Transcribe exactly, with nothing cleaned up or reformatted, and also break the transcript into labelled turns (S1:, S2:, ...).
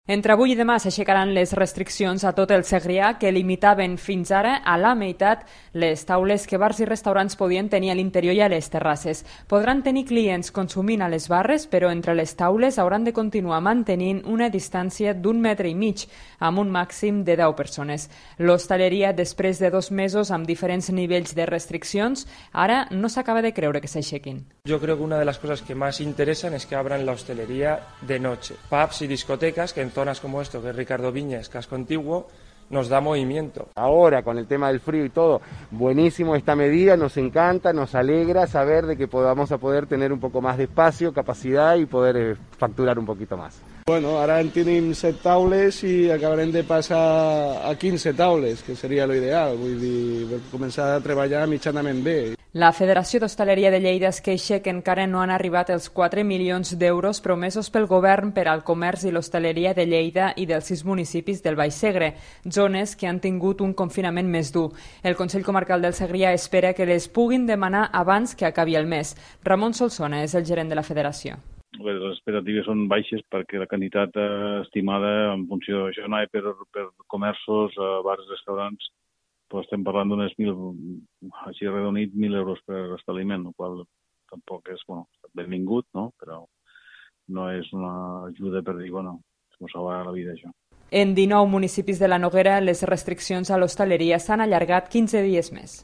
S1: Entre avui i demà s'aixecaran les restriccions a tot el Segrià que limitaven fins ara a la meitat les taules que bars i restaurants podien tenir a l'interior i a les terrasses. Podran tenir clients consumint a les barres, però entre les taules hauran de continuar mantenint una distància d'un metre i mig, amb un màxim de deu persones. L'hostaleria, després de dos mesos amb diferents nivells de restriccions, ara no s'acaba de creure que s'aixequin.
S2: Yo creo que una de las cosas que más interesan es que abran la hostelería de noche. Pubs y discotecas, que en zonas como esto, que es Ricardo Viñes, Casco Antiguo, nos da movimiento.
S3: Ahora, con el tema del frío y todo, buenísimo esta medida, nos encanta, nos alegra saber de que podamos a poder tener un poco más de espacio, capacidad y poder eh, facturar un poquito más.
S4: Bueno, ara en tenim set taules i acabarem de passar a quinze taules, que seria l'ideal, vull dir, començar a treballar mitjanament bé.
S1: La Federació d'Hostaleria de Lleida es queixa que encara no han arribat els quatre milions d'euros promesos pel govern per al comerç i l'hostaleria de Lleida i dels sis municipis del Baix Segre, zones que han tingut un confinament més dur. El Consell Comarcal del Segrià espera que les puguin demanar abans que acabi el mes. Ramon Solsona és el gerent de la Federació.
S5: Les expectatives són baixes perquè la quantitat estimada en funció d'això anava per, per comerços, bars, restaurants, però estem parlant d'unes mil, així redonit, mil euros per establiment, el qual tampoc és, bueno, benvingut, no? Però no és una ajuda per dir, bueno, ens salvarà la vida, això.
S1: En dinou municipis de la Noguera, les restriccions a l'hostaleria s'han allargat quinze dies més.